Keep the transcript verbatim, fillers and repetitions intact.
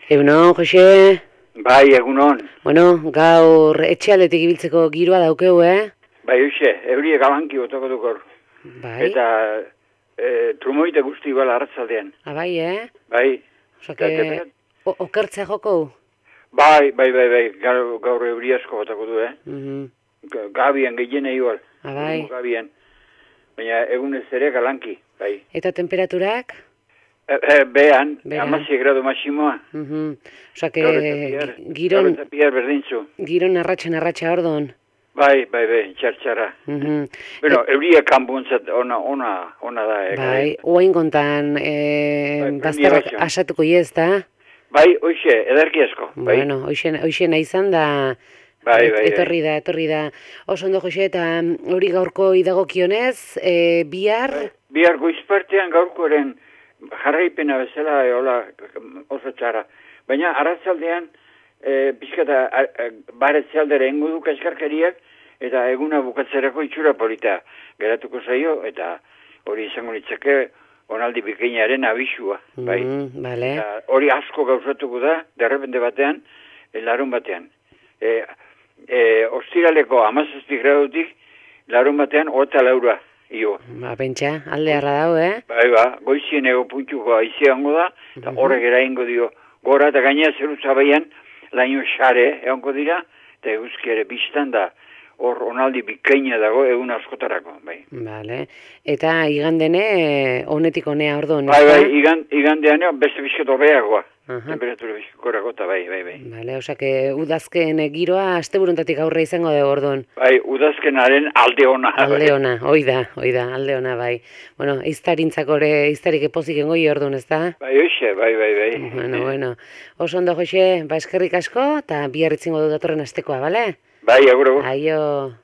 Egunon, Jose? Bai, egunon. Bueno, gaur etxealdetik ibiltzeko giroa daukeu, eh? Bai, hoxe, eurie galanki otoko dukor. Bai. Eta e, trumoite guzti igual arratzaldean. Ah, bai, eh? Bai. Osake, okertzea joko? Bai, bai, bai, bai, gaur, gaur eurie asko otoko du, eh? Mm -hmm. Gabian, gehiene igual. Ah, bai. Gabian. Baina egunez ere galanki, bai. Eta temperaturak? E, e, behan, amazi gradu masimoa. Mm -hmm. Osake, giron... Gaur eta piar berdintzu. Giron arratxa narratxa ordon. Bai, bai, bai, txartxara. Mm -hmm. Bueno, e... euria kanpuntzat ona, ona, ona da. Eh, bai, oain kontan, e, bai, bazterrak asatuko iez, da? Bai, hoxe, edarki asko. Bai. Bueno, hoxe nahi izan da... Bai, bai, etorri da, etorri da. Oso ondo, Jose, eta hori gaurko idagokionez, e, bihar... Bai, bihar goizpartean gaurkoren jarraipena bezala eola oso txara. Baina arratzaldean, e, pixkata baretzealdera ingo du kaskarkariak, eta eguna bukatzerako itxura polita geratuko zaio, eta hori izango nitzake onaldi bikainaren abisua. Bai. Mm, vale. Eta hori asko gauzatuko da, derrepende batean, larun batean. E, E, ostiraleko amazazpi gradutik larun batean hota laura io. Ba, pentsa, alde harra dago, eh? Bai, ba, goizien ego puntxuko aizeango da, eta horrek eraingo dio gora, eta gainea zeru zabaian laino xare egongo dira, eta eguzki ere biztan da, hor onaldi bikaina dago egun askotarako, bai. Vale, eta igandene, honetik honea ordo, bai, bai, igand, igandean beste bizket horreagoa. Temperatura bizkorako eta bai, bai, bai. Vale, osake, udazken giroa asteburuntatik aurre izango dugu orduan. Bai, udazkenaren alde ona. Alde ona, bai. Oida, oida, alde ona, bai. Bueno, iztarintzako ere, iztarik epozik engoi orduan, ez da? Bai, oixe, bai, bai, bai. Bueno, bueno. Oso ondo, Jose, ba eskerrik asko, eta biarritzingo du datorren astekoa, bale? Bai, agur, agur. Aio.